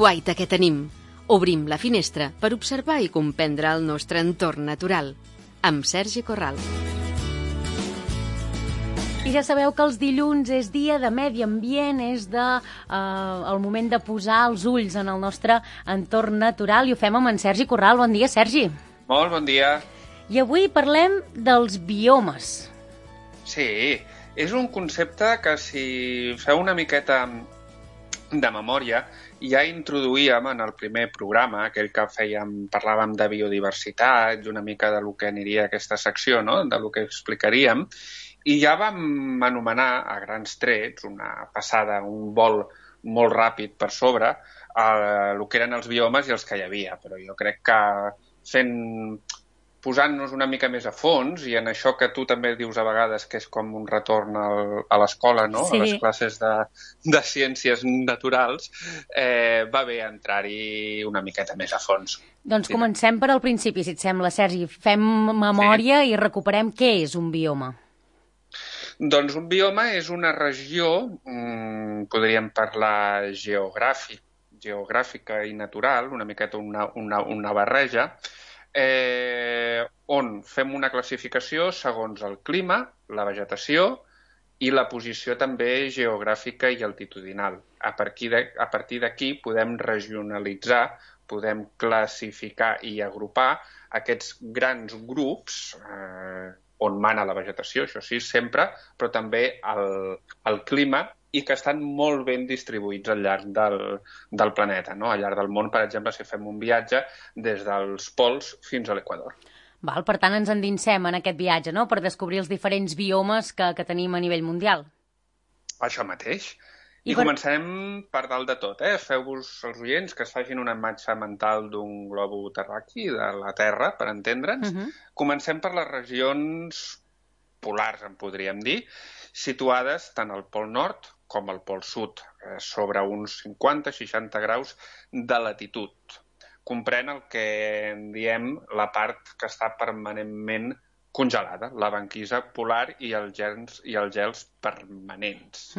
guaita que tenim. Obrim la finestra per observar i comprendre el nostre entorn natural. Amb Sergi Corral. I ja sabeu que els dilluns és dia de medi ambient, és el moment de posar els ulls en el nostre entorn natural i ho fem amb en Sergi Corral. Bon dia, Sergi. Molt bon dia. I avui parlem dels biomes. Sí, és un concepte que si feu una miqueta de memòria ja introduïem en el primer programa, aquell que parlàvem de biodiversitat i una mica de lo que aniria aquesta secció, no? De lo que explicaríem, i ja vam anomenar a grans trets, una passada, un vol molt ràpid per sobre, el que eren els biomes i els que hi havia. Però jo crec que posant-nos una mica més a fons, i en això que tu també dius a vegades que és com un retorn a l'escola, no? Sí. A les classes de ciències naturals, va bé entrar-hi una miqueta més a fons. Doncs comencem per al principi, si et sembla, Sergi. Fem memòria i recuperem què és un bioma. Doncs un bioma és una regió, podríem parlar geogràfica i natural, una miqueta una barreja, on fem una classificació segons el clima, la vegetació i la posició també geogràfica i altitudinal. A partir d'aquí podem regionalitzar, podem classificar i agrupar aquests grans grups on mana la vegetació, això sí, sempre, però també el clima, i que estan molt ben distribuïts al llarg del planeta, no? Al llarg del món, per exemple, si fem un viatge des dels pols fins a l'Equador. Per tant, ens endinsem en aquest viatge, no?, per descobrir els diferents biomes que tenim a nivell mundial. Això mateix. I començarem per dalt de tot, Feu-vos els oients que es facin una imatge mental d'un globo terraqui, de la Terra, per entendre'ns. Comencem per les regions polars, en podríem dir, situades tant al Pol Nord com al Pol Sud, sobre uns 50-60 graus de latitud. Comprèn el que en diem la part que està permanentment congelada, la banquisa polar i els gels permanents.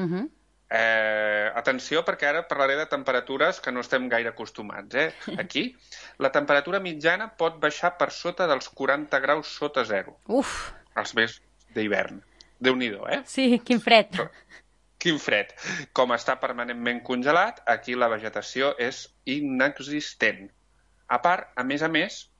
Atenció, perquè ara parlaré de temperatures que no estem gaire acostumats. Aquí, la temperatura mitjana pot baixar per sota dels 40 graus sota zero. Els mesos d'hivern. Déu-n'hi-do, Sí, quin fred. Quin fred. Com està permanentment congelat, aquí la vegetació és inexistent. A part, a més,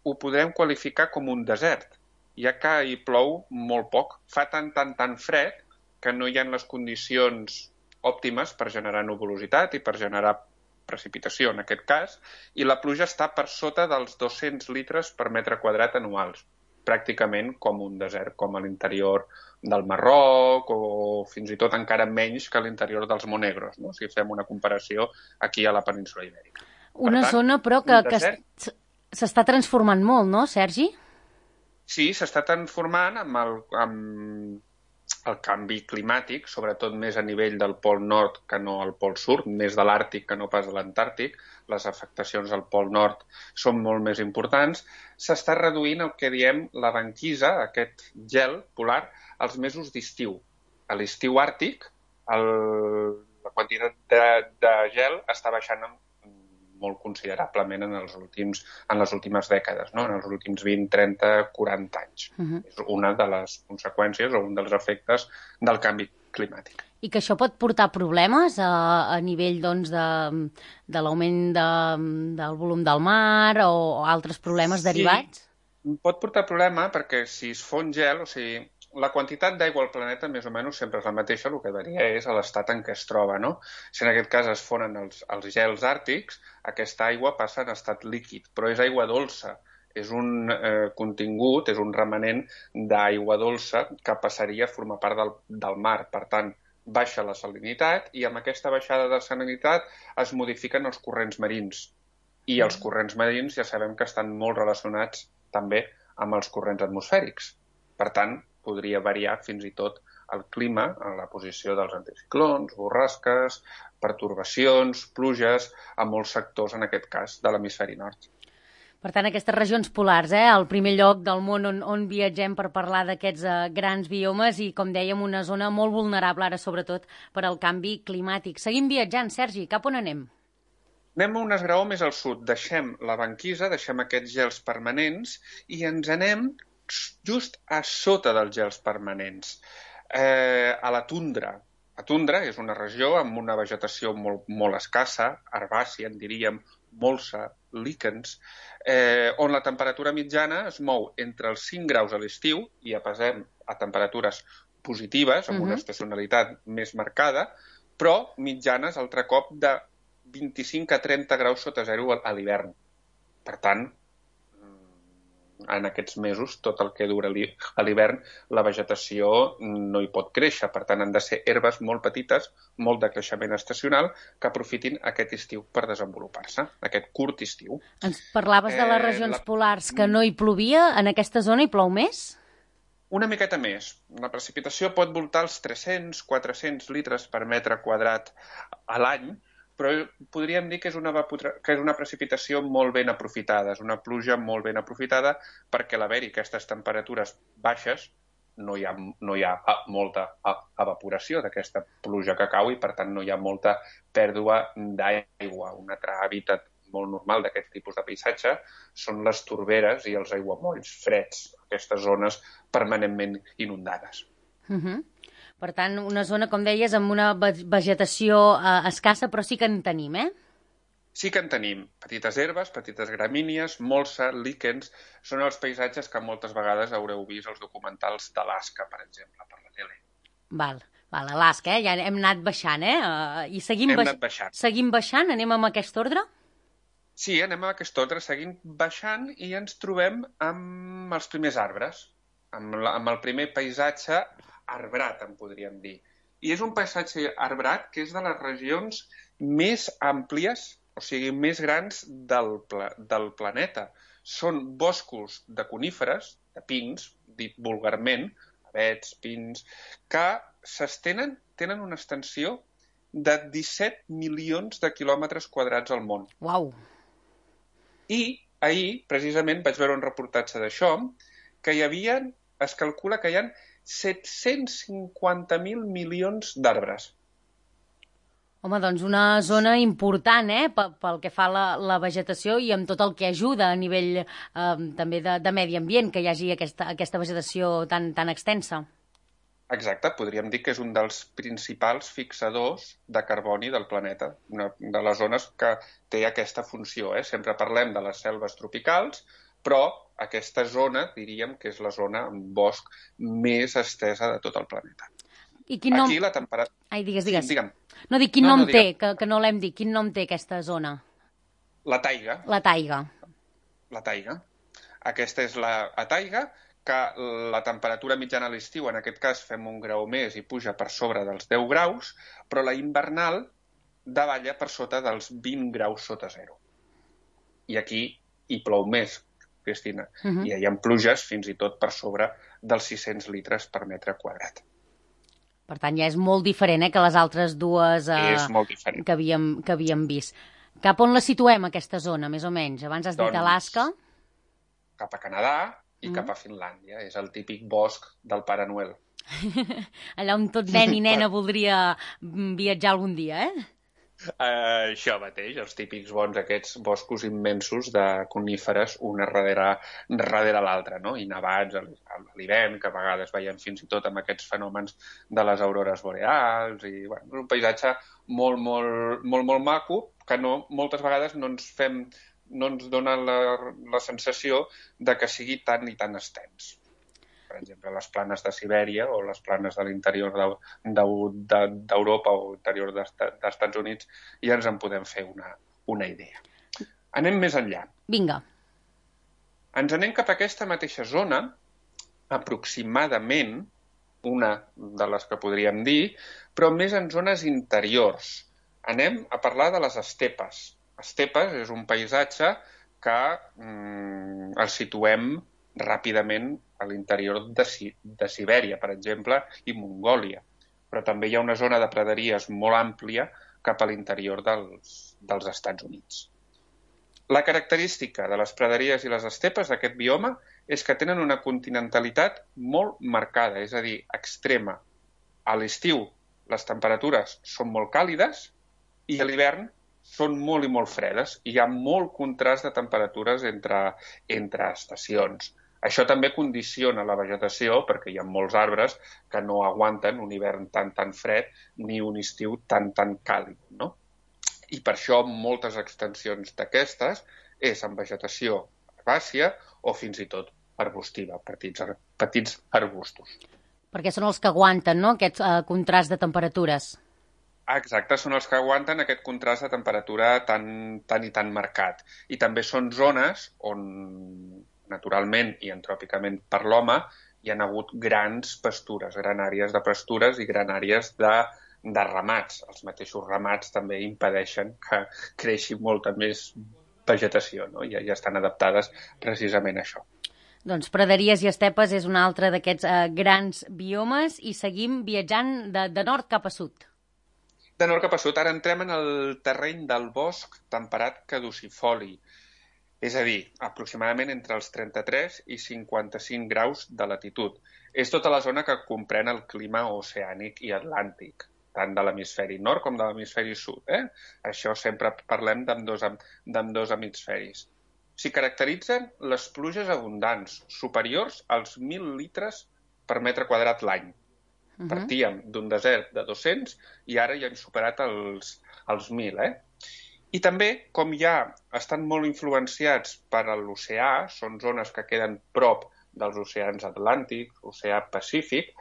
ho podrem qualificar com un desert, ja que hi plou molt poc. Fa tan fred que no hi ha les condicions òptimes per generar nuvolositat i per generar precipitació, en aquest cas, i la pluja està per sota dels 200 litres per metre quadrat anuals, pràcticament com un desert, com a l'interior del Marroc o fins i tot encara menys que a l'interior dels Monegros, no? Si fem una comparació aquí a la península Ibèrica. Una zona, però, que s'està transformant molt, no, Sergi? Sí, s'està transformant amb el canvi climàtic, sobretot més a nivell del Pol Nord que no al Pol Sud, més de l'Àrtic que no pas de l'Antàrtic. Les afectacions al Pol Nord són molt més importants. S'està reduint el que diem la banquisa, aquest gel polar, als mesos d'estiu. A l'estiu àrtic, la quantitat de gel està baixant molt considerablement en les últimes dècades, no? En els últims 20, 30, 40 anys. És una de les conseqüències o un dels efectes del canvi climàtic. I que això pot portar problemes a nivell de l'augment del volum del mar o altres problemes derivats? Pot portar problema perquè si es fon gel, o sigui, la quantitat d'aigua al planeta més o menys sempre és la mateixa, el que varia és l'estat en què es troba, no? Si en aquest cas es fonen els gels àrtics, aquesta aigua passa en estat líquid, però és aigua dolça. És un contingut, és un remanent d'aigua dolça que passaria a formar part del mar. Per tant, baixa la salinitat i amb aquesta baixada de salinitat es modifiquen els corrents marins. I els corrents marins ja sabem que estan molt relacionats també amb els corrents atmosfèrics. Per tant, podria variar fins i tot el clima en la posició dels anticiclons, borrasques, pertorbacions, pluges, a molts sectors, en aquest cas, de l'hemisferi nord. Per tant, aquestes regions polars, el primer lloc del món on viatgem per parlar d'aquests grans biomes i, com dèiem, una zona molt vulnerable, ara sobretot, per al canvi climàtic. Seguim viatjant, Sergi, cap on anem? Anem a un esgraó més al sud, deixem la banquisa, deixem aquests gels permanents i ens anem just a sota dels gels permanents, a la tundra. La tundra és una regió amb una vegetació molt escassa, herbàcia, en diríem, molsa, líquens, on la temperatura mitjana es mou entre els 5 graus a l'estiu, i ja passem a temperatures positives, amb una estacionalitat més marcada, però mitjanes altre cop de 25 a 30 graus sota zero a l'hivern. Per tant, en aquests mesos, tot el que dura a l'hivern, la vegetació no hi pot créixer. Per tant, han de ser herbes molt petites, molt de creixement estacional, que aprofitin aquest estiu per desenvolupar-se, aquest curt estiu. Ens parlaves de les regions polars que no hi plovia. En aquesta zona hi plou més? Una miqueta més. La precipitació pot voltar els 300-400 litres per metre quadrat a l'any, però podríem dir que és una precipitació molt ben aprofitada, és una pluja molt ben aprofitada, perquè a l'haver-hi aquestes temperatures baixes no hi ha molta evaporació d'aquesta pluja que cau i, per tant, no hi ha molta pèrdua d'aigua. Un altre hàbitat molt normal d'aquest tipus de paisatge són les torberes i els aiguamolls freds, aquestes zones permanentment inundades. Per tant, una zona, com deies, amb una vegetació escassa, però sí que en tenim, Sí que en tenim. Petites herbes, petites gramínies, molsa, líquens, són els paisatges que moltes vegades haureu vist als documentals d'Alaska, per exemple, per la tele. Val, Alaska, ja hem anat baixant, I seguim baixant, anem amb aquest ordre? Sí, anem amb aquest ordre, seguim baixant i ens trobem amb els primers arbres, amb el primer paisatge arbrat, en podríem dir. I és un paisatge arbrat que és de les regions més àmplies, o sigui, més grans del planeta. Són boscos de coníferes, de pins, dit vulgarment, avets, pins, que tenen una extensió de 17 milions de quilòmetres quadrats al món. Uau! I ahir, precisament, vaig veure un reportatge d'això, que es calcula que hi ha 750.000 milions d'arbres. Home, doncs una zona important, pel que fa a la vegetació i amb tot el que ajuda a nivell també de medi ambient, que hi hagi aquesta vegetació tan extensa. Exacte, podríem dir que és un dels principals fixadors de carboni del planeta, una de les zones que té aquesta funció. Sempre parlem de les selves tropicals, però aquesta zona, diríem que és la zona amb bosc més estesa de tot el planeta. I quin nom... Aquí la temperatura... Ai, digues. Sí, digue'm. No, dic, quin nom té, que no l'hem dit. Quin nom té aquesta zona? La taiga. La taiga. La taiga. Aquesta és la taiga, que la temperatura mitjana a l'estiu, en aquest cas fem 1 grau més i puja per sobre dels 10 graus, però la invernal davalla per sota dels 20 graus sota zero. I aquí hi plou més, Cristina. I hi ha pluges fins i tot per sobre dels 600 litres per metre quadrat. Per tant, ja és molt diferent que les altres dues que havíem vist. Cap on la situem, aquesta zona, més o menys? Abans has dit Alaska. Cap a Canadà i cap a Finlàndia. És el típic bosc del Pare Noel. Allà on tot nen i nena voldria viatjar algun dia, Això mateix, els típics bons, aquests boscos immensos de coníferes, una darrere l'altra, no? I nevats a l'hivern, que a vegades veiem fins i tot amb aquests fenòmens de les aurores boreals, i és un paisatge molt, molt, molt, molt maco, que moltes vegades no ens dona la sensació de que sigui tan i tan extens. Per exemple, les planes de Sibèria o les planes de l'interior d'Europa o interior dels Estats Units, ja ens en podem fer una idea. Anem més enllà. Vinga. Ens anem cap a aquesta mateixa zona, aproximadament, una de les que podríem dir, però més en zones interiors. Anem a parlar de les estepes. Estepes és un paisatge que el situem ràpidament a l'interior de Sibèria, per exemple, i Mongòlia. Però també hi ha una zona de praderies molt àmplia cap a l'interior dels Estats Units. La característica de les praderies i les estepes d'aquest bioma és que tenen una continentalitat molt marcada, és a dir, extrema. A l'estiu les temperatures són molt càlides i a l'hivern són molt i molt fredes i hi ha molt contrast de temperatures entre estacions. Això també condiciona la vegetació perquè hi ha molts arbres que no aguanten un hivern tan fred ni un estiu tan càlid, no? I per això moltes extensions d'aquestes és en vegetació herbàcia o fins i tot arbustiva, petits arbustos. Perquè són els que aguanten, no?, aquest contrast de temperatures. Exacte, són els que aguanten aquest contrast de temperatura tan marcat. I també són zones on, naturalment i antròpicament per l'home, hi ha hagut grans pastures, gran àrees de pastures i gran àrees de ramats. Els mateixos ramats també impedeixen que creixi molta més vegetació, no? Ja estan adaptades precisament a això. Doncs praderies i estepes és un altre d'aquests grans biomes i seguim viatjant de nord cap a sud. De nord cap a sud. Ara entrem en el terreny del bosc temperat caducifoli, és a dir, aproximadament entre els 33 i 55 graus de latitud. És tota la zona que comprèn el clima oceànic i atlàntic, tant de l'hemisferi nord com de l'hemisferi sud. Això sempre parlem d'ambdós hemisferis. S'hi caracteritzen les pluges abundants, superiors als 1.000 litres per metre quadrat l'any. Partíem d'un desert de 200 i ara ja hem superat els 1.000, I també, com ja estan molt influenciats per l'oceà, són zones que queden prop dels oceans Atlàntic, oceà Pacífic,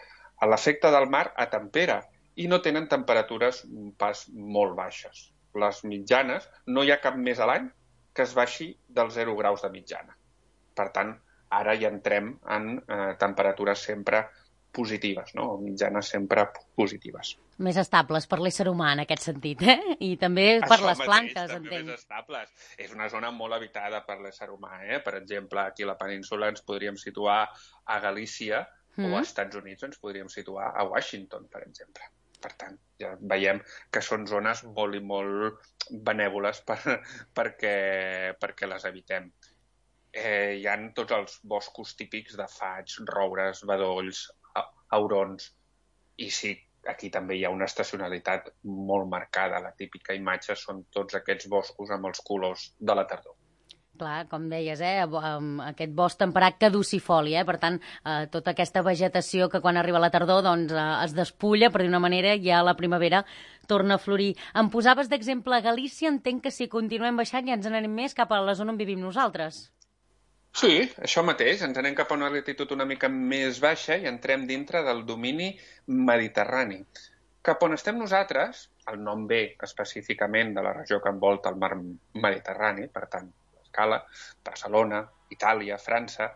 l'efecte del mar atempera i no tenen temperatures pas molt baixes. Les mitjanes, no hi ha cap mes a l'any que es baixi dels 0 graus de mitjana. Per tant, ara ja entrem en temperatures sempre positives, no? O mitjanes sempre positives. Més estables per l'ésser humà, en aquest sentit, I també per les plantes, entenc. Més estables. És una zona molt habitada per l'ésser humà, Per exemple, aquí a la península ens podríem situar a Galícia o als Estats Units ens podríem situar a Washington, per exemple. Per tant, ja veiem que són zones molt i molt benèvoles perquè les evitem. Hi ha tots els boscos típics de faigs, roures, bedolls, aurons, i sí, aquí també hi ha una estacionalitat molt marcada. La típica imatge són tots aquests boscos amb els colors de la tardor. Clar, com deies, aquest bosc temperat caducifoli, Per tant, tota aquesta vegetació que quan arriba la tardor doncs, es despulla, per dir una manera, i a la primavera torna a florir. Em posaves d'exemple Galícia, entenc que si continuem baixant ja ens n'anem més cap a la zona on vivim nosaltres. Sí, això mateix. Ens anem cap a una latitud una mica més baixa i entrem dintre del domini mediterrani. Cap on estem nosaltres, el nom ve específicament de la regió que envolta el mar Mediterrani, per tant, l'escala, Barcelona, Itàlia, França,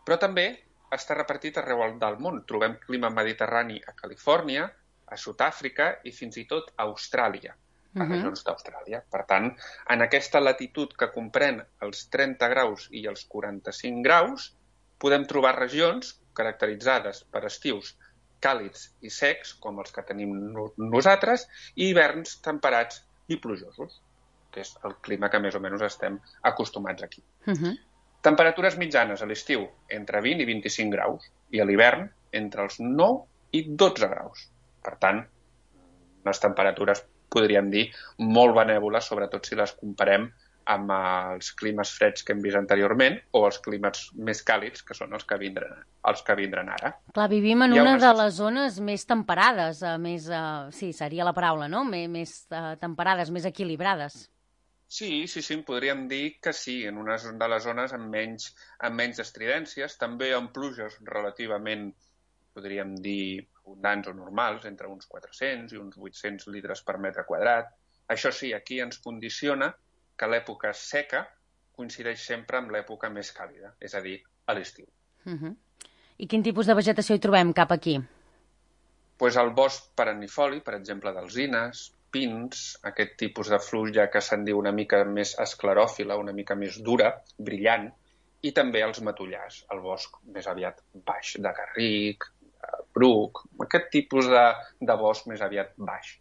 però també està repartit arreu del món. Trobem clima mediterrani a Califòrnia, a Sud-àfrica i fins i tot a Austràlia, a regions d'Austràlia. Per tant, en aquesta latitud que comprèn els 30 graus i els 45 graus, podem trobar regions caracteritzades per estius càlids i secs, com els que tenim nosaltres, i hiverns temperats i plujosos, que és el clima que més o menys estem acostumats aquí. Temperatures mitjanes a l'estiu entre 20 i 25 graus i a l'hivern entre els 9 i 12 graus. Per tant, unes temperatures podríem dir, molt benèvoles, sobretot si les comparem amb els climes freds que hem vist anteriorment o els climes més càlids, que són els que vindran ara. Clar, vivim en una de les zones més temperades, sí, seria la paraula, no? Més temperades, més equilibrades. Sí, podríem dir que sí, en una de les zones amb menys estridències, també amb pluges relativament, podríem dir, abundants o normals, entre uns 400 i uns 800 litres per metre quadrat. Això sí, aquí ens condiciona que l'època seca coincideix sempre amb l'època més càlida, és a dir, a l'estiu. I quin tipus de vegetació hi trobem cap aquí? Pues el bosc perennifoli, per exemple, d'alzines, pins, aquest tipus de fruita que se'n diu una mica més escleròfila, una mica més dura, brillant, i també els matollars, el bosc més aviat baix, de garric, bruc, aquest tipus de bosc més aviat baix.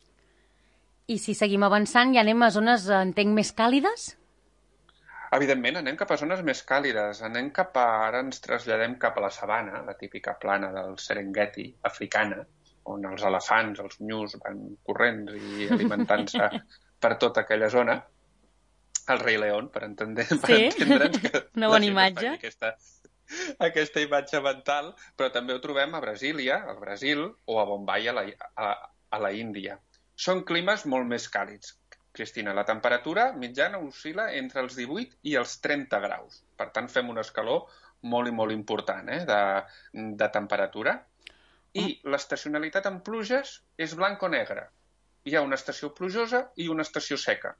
I si seguim avançant, ja anem a zones, entenc, més càlides? Evidentment, anem cap a zones més càlides. Ara ens traslladem cap a la sabana, la típica plana del Serengeti africana, on els elefants, els nyus, van corrents i alimentant-se per tota aquella zona. El Rei León, per entendre'ns. Una bona imatge. Aquesta imatge mental, però també ho trobem a Brasília, al Brasil, o a Bombai, a la Índia. Són climes molt més càlids. Cristina, la temperatura mitjana oscil·la entre els 18 i els 30 graus. Per tant, fem una escaló molt i molt important de temperatura. I l'estacionalitat en pluges és blanc o negre. Hi ha una estació plujosa i una estació seca.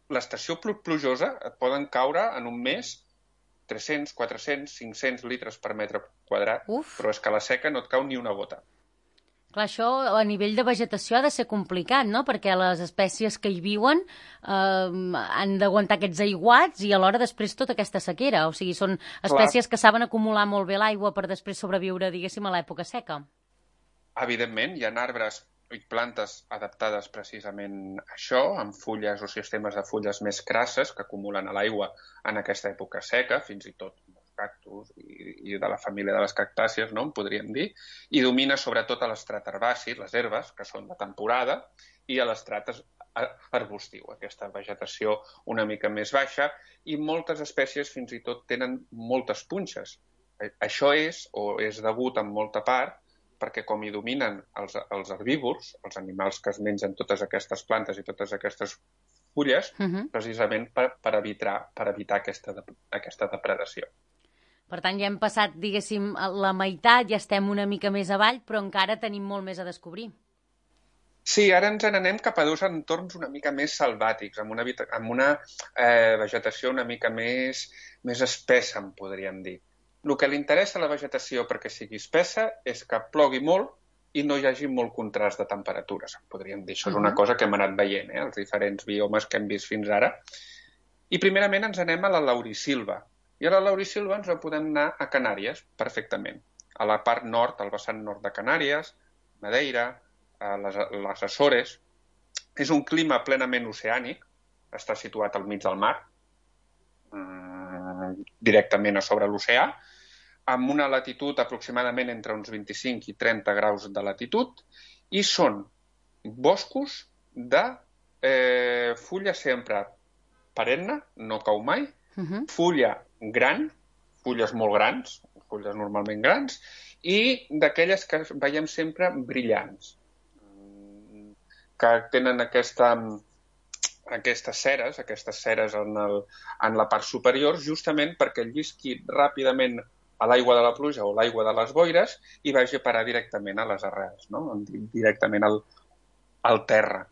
L'estació plujosa et poden caure en un mes 300, 400, 500 litres per metre quadrat, però és que a la seca no et cau ni una gota. Clar, això a nivell de vegetació ha de ser complicat, no? Perquè les espècies que hi viuen han d'aguantar aquests aiguats i alhora després tota aquesta sequera. O sigui, són espècies que saben acumular molt bé l'aigua per després sobreviure, diguéssim, a l'època seca. Evidentment, hi ha arbres i plantes adaptades precisament a això, amb fulles o sistemes de fulles més crasses que acumulen a l'aigua en aquesta època seca, fins i tot cactus i de la família de les cactàcies, no? En podríem dir, i domina sobretot a l'estrat herbàcia, les herbes, que són de temporada, i a l'estrat arbustiu, aquesta vegetació una mica més baixa, i moltes espècies fins i tot tenen moltes punxes. Això és degut en molta part perquè com hi dominen els herbívors, els animals que es mengen totes aquestes plantes i totes aquestes fulles, precisament per evitar aquesta depredació. Per tant, ja hem passat, diguéssim, la meitat, ja estem una mica més avall, però encara tenim molt més a descobrir. Sí, ara ens n'anem cap a dos entorns una mica més selvàtics, amb una vegetació una mica més espessa, en podríem dir. El que li interessa a la vegetació perquè sigui espessa és que plogui molt i no hi hagi molt contrast de temperatures, podríem dir. Això és una cosa que hem anat veient, els diferents biomes que hem vist fins ara. I primerament ens anem a la laurisilva. I a la laurisilva ens podem anar a Canàries, perfectament. A la part nord, al vessant nord de Canàries, Madeira, les Açores. És un clima plenament oceànic, està situat al mig del mar, directament a sobre l'oceà, amb una latitud aproximadament entre uns 25 i 30 graus de latitud, i són boscos de fulla sempre perenne, no cau mai, fulla gran, fulles molt grans, fulles normalment grans, i d'aquelles que veiem sempre brillants, que tenen aquestes ceres en la part superior, justament perquè llisqui ràpidament a l'aigua de la pluja o l'aigua de les boires i vagi a parar directament a les arrels, no? Directament al terra.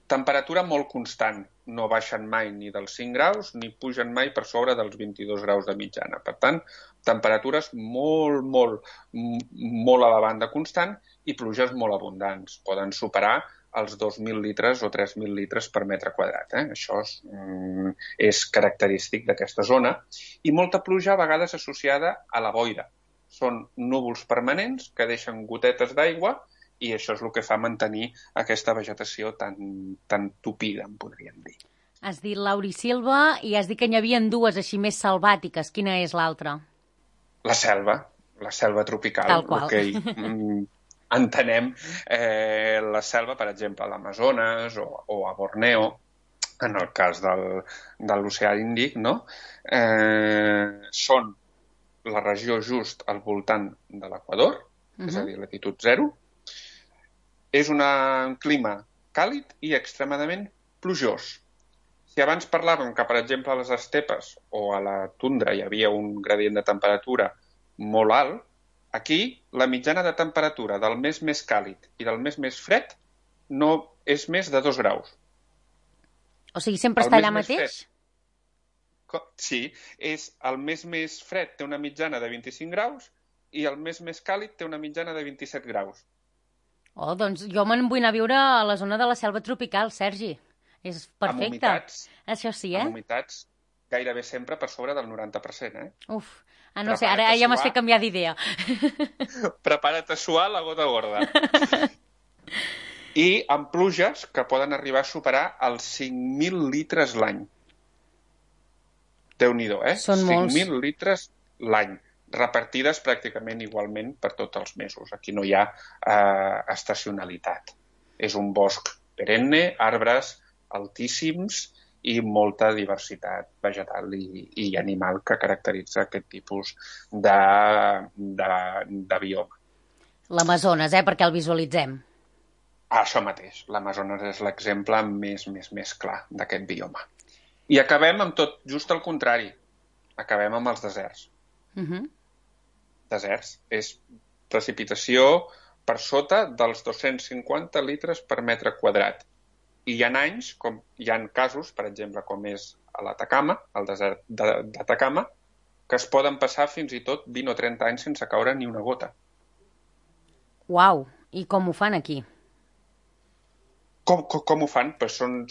Temperatura molt constant, no baixen mai ni dels 5 graus ni pugen mai per sobre dels 22 graus de mitjana. Per tant, temperatures molt, molt, molt a la banda constant i pluges molt abundants. Poden superar els 2.000 litres o 3.000 litres per metre quadrat. Això és característic d'aquesta zona. I molta pluja a vegades associada a la boira. Són núvols permanents que deixen gotetes d'aigua i això és el que fa mantenir aquesta vegetació tan tupida, en podríem dir. Has dit laurisilva i has dit que n'hi havia dues així més selvàtiques. Quina és l'altra? La selva tropical. Tal qual. Entenem la selva, per exemple, a l'Amazones o a Borneo, en el cas de l'oceà Índic, no? Són la regió just al voltant de l'equador, és a dir, latitud 0. És un clima càlid i extremadament plujós. Si abans parlàvem que, per exemple, a les estepes o a la tundra hi havia un gradient de temperatura molt alt, aquí la mitjana de temperatura del mes més càlid i del mes més fred no és més de 2 graus. O sigui, sempre està allà mateix? Sí, el mes més fred té una mitjana de 25 graus i el mes més càlid té una mitjana de 27 graus. Oh, doncs jo me'n vull anar a viure a la zona de la selva tropical, Sergi. És perfecte. Amb humitats. Això sí, Amb humitats gairebé sempre per sobre del 90%, Uf, no sé, ara ja m'has fet canviar d'idea. Prepara't a suar la gota gorda. I amb pluges que poden arribar a superar els 5.000 litres l'any. Déu-n'hi-do, Són molts. 5.000 litres l'any, repartides pràcticament igualment per tots els mesos. Aquí no hi ha estacionalitat. És un bosc perenne, arbres altíssims i molta diversitat vegetal i animal que caracteritza aquest tipus de bioma. L'Amazones, perquè el visualitzem. Això mateix, l'Amazones és l'exemple més clar d'aquest bioma. I acabem amb tot just el contrari. Acabem amb els deserts. Deserts és precipitació per sota dels 250 litres per metre quadrat. I hi ha anys, hi ha casos, per exemple, com és a l'Atacama, al desert d'Atacama, que es poden passar fins i tot 20 o 30 anys sense caure ni una gota. Uau! I com ho fan aquí? Com ho fan? Pues són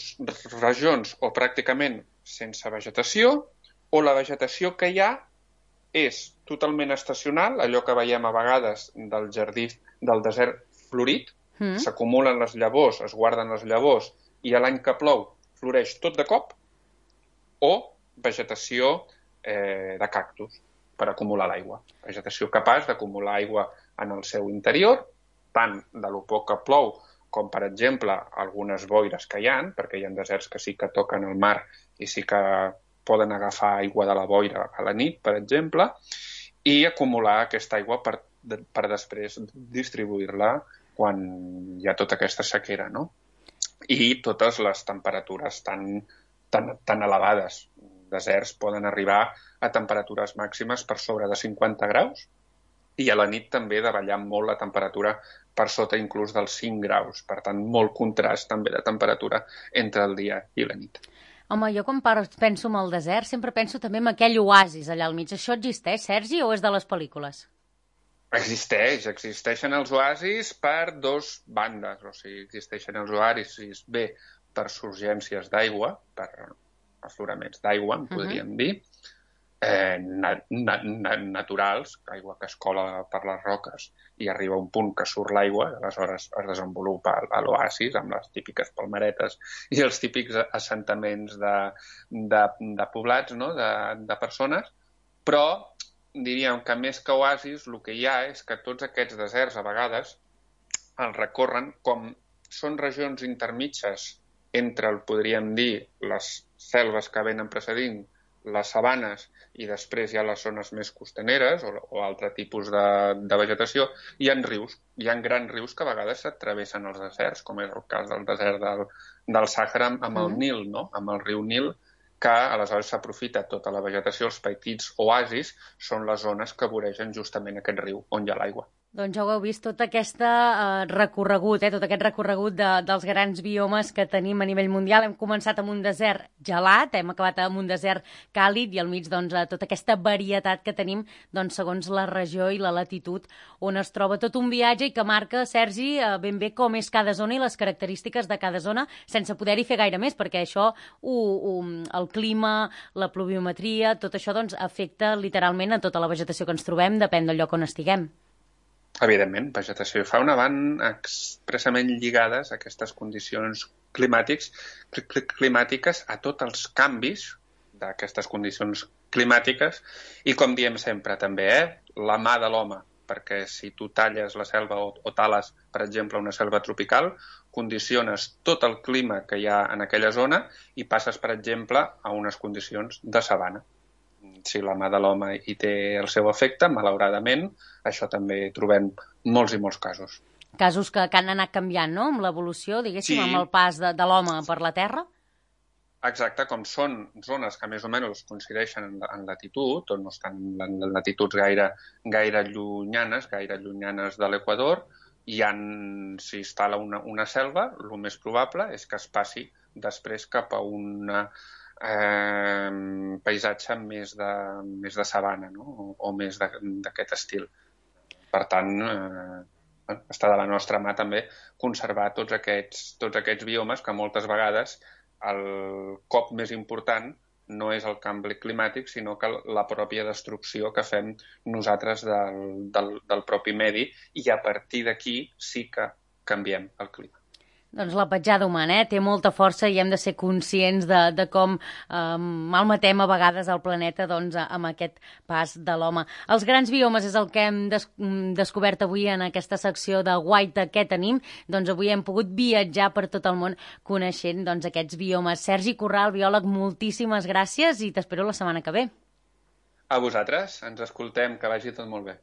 regions o pràcticament sense vegetació, o la vegetació que hi ha és totalment estacional, allò que veiem a vegades del jardí del desert florit, s'acumulen les llavors, es guarden les llavors, i a l'any que plou floreix tot de cop, o vegetació de cactus per acumular l'aigua. Vegetació capaç d'acumular aigua en el seu interior, tant de lo poc que plou com, per exemple, algunes boires que hi ha, perquè hi ha deserts que sí que toquen el mar i sí que poden agafar aigua de la boira a la nit, per exemple, i acumular aquesta aigua per després distribuir-la quan hi ha tota aquesta sequera, no? I totes les temperatures tan elevades. Deserts poden arribar a temperatures màximes per sobre de 50 graus i a la nit també davallar molt la temperatura per sota inclús dels 5 graus. Per tant, molt contrast també de temperatura entre el dia i la nit. Home, jo quan penso en el desert sempre penso també en aquell oasis allà al mig. Això existeix, Sergi, o és de les pel·lícules? Existeixen els oasis per dos bandes, o sigui, existeixen els oasis bé per surgències d'aigua, per afloraments d'aigua, en podríem dir, naturals, aigua que es cola per les roques i arriba a un punt que surt l'aigua, aleshores es desenvolupa l'oasis amb les típiques palmeretes i els típics assentaments de poblats, no? de persones, però diríem que més que oasis el que hi ha és que tots aquests deserts a vegades els recorren com són regions intermitges entre, podríem dir, les selves que venen precedint, les sabanes i després hi ha les zones més costaneres o altre tipus de vegetació, hi ha rius, hi ha grans rius que a vegades s'atravessen els deserts, com és el cas del desert del Sàhara amb el Nil, no? Amb el riu Nil, que aleshores s'aprofita tota la vegetació, els petits oasis són les zones que voregen justament aquest riu on hi ha l'aigua. Doncs ja ho heu vist, tot aquest recorregut, tot aquest recorregut dels grans biomes que tenim a nivell mundial. Hem començat amb un desert gelat, hem acabat amb un desert càlid i al mig tota aquesta varietat que tenim segons la regió i la latitud on es troba, tot un viatge i que marca, Sergi, ben bé com és cada zona i les característiques de cada zona sense poder-hi fer gaire més, perquè això, el clima, la pluviometria, tot això afecta literalment a tota la vegetació que ens trobem, depèn del lloc on estiguem. Evidentment, vegetació i fauna van expressament lligades a aquestes condicions climàtiques, a tots els canvis d'aquestes condicions climàtiques i, com diem sempre també, la mà de l'home, perquè si tu talles la selva o tales, per exemple, una selva tropical, condiciones tot el clima que hi ha en aquella zona i passes, per exemple, a unes condicions de sabana. Si la mà de l'home hi té el seu efecte, malauradament, això també trobem molts i molts casos. Casos que han anat canviant, no?, amb l'evolució, diguéssim, amb el pas de l'home per la Terra? Exacte, com són zones que més o menys coincideixen en latitud, o no estan en latituds gaire llunyanes de l'Equador, s'hi instal·la una selva, el més probable és que es passi després cap a un paisatge més de sabana, no? O més d'aquest estil. Per tant, està de la nostra mà també conservar tots aquests biomes que moltes vegades el cop més important no és el canvi climàtic, sinó que la pròpia destrucció que fem nosaltres del propi medi i a partir d'aquí sí que canviem el clima. Doncs la petjada humana té molta força i hem de ser conscients de com malmetem a vegades el planeta amb aquest pas de l'home. Els grans biomes és el que hem descobert avui en aquesta secció de Guaita Què tenim? Doncs avui hem pogut viatjar per tot el món coneixent aquests biomes. Sergi Corral, biòleg, moltíssimes gràcies i t'espero la setmana que ve. A vosaltres, ens escoltem, que vagi tot molt bé.